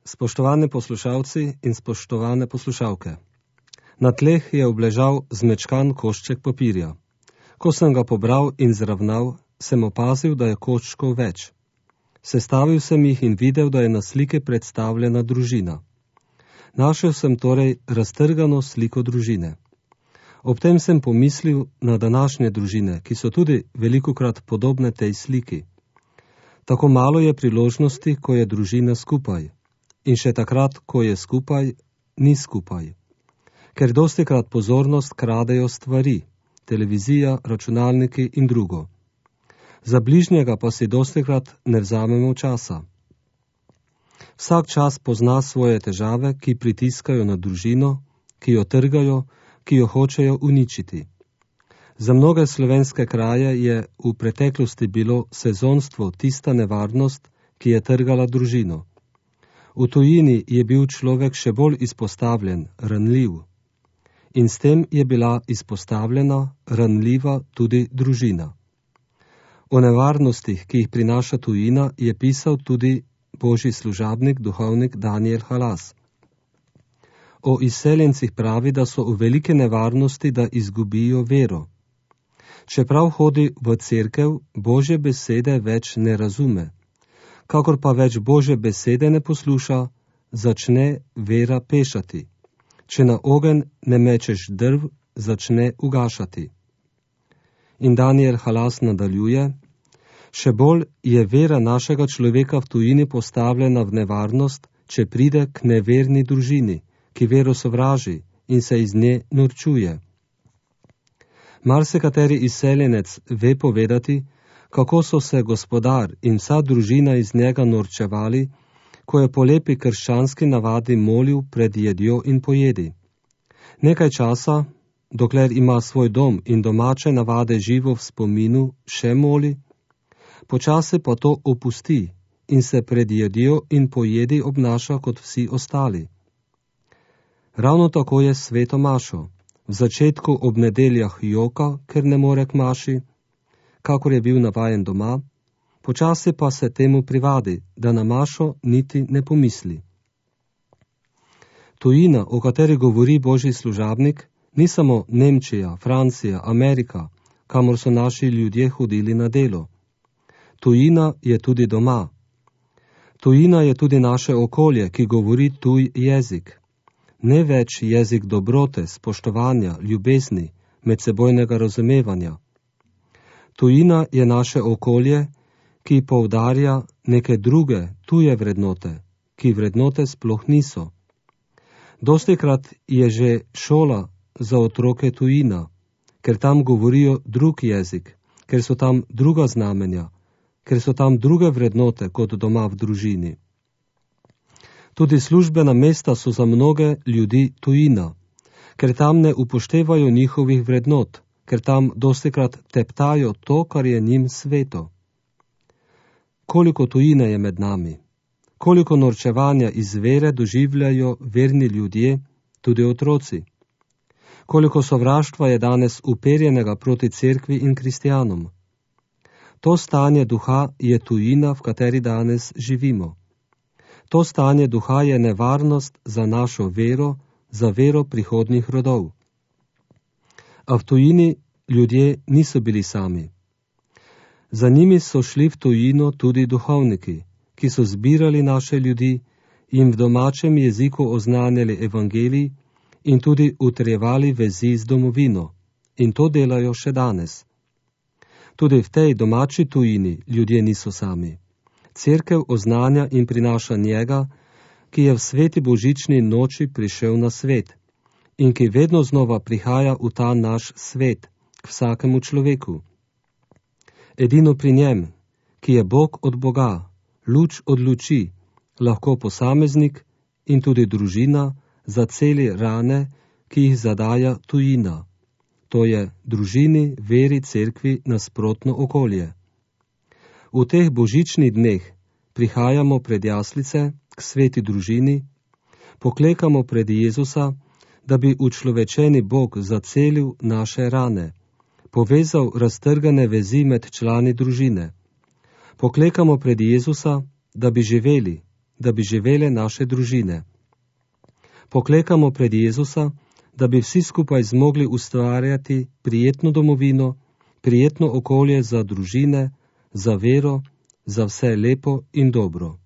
Spoštovani poslušalci in spoštovane poslušalke. Na tleh je obležal zmečkan košček papirja. Ko sem ga pobral in zravnal, sem opazil, da je koščkov več. Sestavil sem jih in videl, da je na slike predstavljena družina. Našel sem torej raztrgano sliko družine. Ob tem sem pomislil na današnje družine, ki so tudi velikokrat podobne tej sliki. Tako malo je priložnosti, ko je družina skupaj. In še takrat, ko je skupaj, ni skupaj. Ker dostikrat pozornost kradejo stvari, televizija, računalniki in drugo. Za bližnjega pa si dostikrat ne vzamemo časa. Vsak čas pozna svoje težave, ki pritiskajo na družino, ki jo trgajo, ki jo hočejo uničiti. Za mnoge slovenske kraje je v preteklosti bilo sezonstvo tista nevarnost, ki je trgala družino. V tujini je bil človek še bolj izpostavljen, ranljiv. In s tem je bila izpostavljena, ranljiva tudi družina. O nevarnostih, ki jih prinaša tujina, je pisal tudi božji služabnik, duhovnik Danijel Halas. O izseljencih pravi, da so v velike nevarnosti, da izgubijo vero. Čeprav hodi v cerkev, Božje besede več ne razume. Kakor pa več Božje besede ne posluša, začne vera pešati. Če na ogenj ne mečeš drv, začne ugašati. In Danijel Halas nadaljuje, še bolj je vera našega človeka v tujini postavljena v nevarnost, če pride k neverni družini, ki vero sovraži in se iz nje norčuje. Marsikateri izseljenec ve povedati, kako so se gospodar in vsa družina iz njega norčevali, ko je po lepi krščanski navadi molil pred jedjo in pojedi. Nekaj časa, dokler ima svoj dom in domače navade živo v spominu, še moli, počasi pa to opusti in se pred jedjo in pojedi obnaša kot vsi ostali. Ravno tako je s sveto mašo. V začetku ob nedeljah joka, ker ne more k maši, kakor je bil navajen doma, počasi pa se temu privadi, da na mašo niti ne pomisli. Tujina, o kateri govori božji služabnik, ni samo Nemčija, Francija, Amerika, kamor so naši ljudje hodili na delo. Tujina je tudi doma. Tujina je tudi naše okolje, ki govori tuj jezik. Ne več jezik dobrote, spoštovanja, ljubezni, medsebojnega razumevanja. Tujina je naše okolje, ki poudarja neke druge, tuje vrednote, ki vrednote sploh niso. Dostikrat je že šola za otroke tujina, ker tam govorijo drug jezik, ker so tam druga znamenja, ker so tam druge vrednote kot doma v družini. Tudi službena mesta so za mnoge ljudi tujina, ker tam ne upoštevajo njihovih vrednot, ker tam dostikrat teptajo to, kar je njim sveto. Koliko tujine je med nami, koliko norčevanja iz vere doživljajo verni ljudje, tudi otroci. Koliko sovraštva je danes uperjenega proti cerkvi in kristjanom. To stanje duha je tujina, v kateri danes živimo. To stanje duha je nevarnost za našo vero, za vero prihodnjih rodov. A v tujini ljudje niso bili sami. Za njimi so šli v tujino tudi duhovniki, ki so zbirali naše ljudi, jim v domačem jeziku oznanjali evangelij in tudi utrjevali vezi z domovino. In to delajo še danes. Tudi v tej domači tujini ljudje niso sami. Cerkev oznanja in prinaša njega, ki je v sveti božični noči prišel na svet in ki vedno znova prihaja v ta naš svet, k vsakemu človeku. Edino pri njem, ki je Bog od Boga, luč od luči, lahko posameznik in tudi družina zaceli rane, ki jih zadaja tujina. To je družini, veri, cerkvi nasprotno okolje. V teh božičnih dneh prihajamo pred jaslice k sveti družini, poklekamo pred Jezusa, da bi učlovečeni Bog zacelil naše rane, povezal raztrgane vezi med člani družine. Poklekamo pred Jezusa, da bi živeli, da bi živele naše družine. Poklekamo pred Jezusa, da bi vsi skupaj zmogli ustvarjati prijetno domovino, prijetno okolje za družine, za vero, za vse lepo in dobro.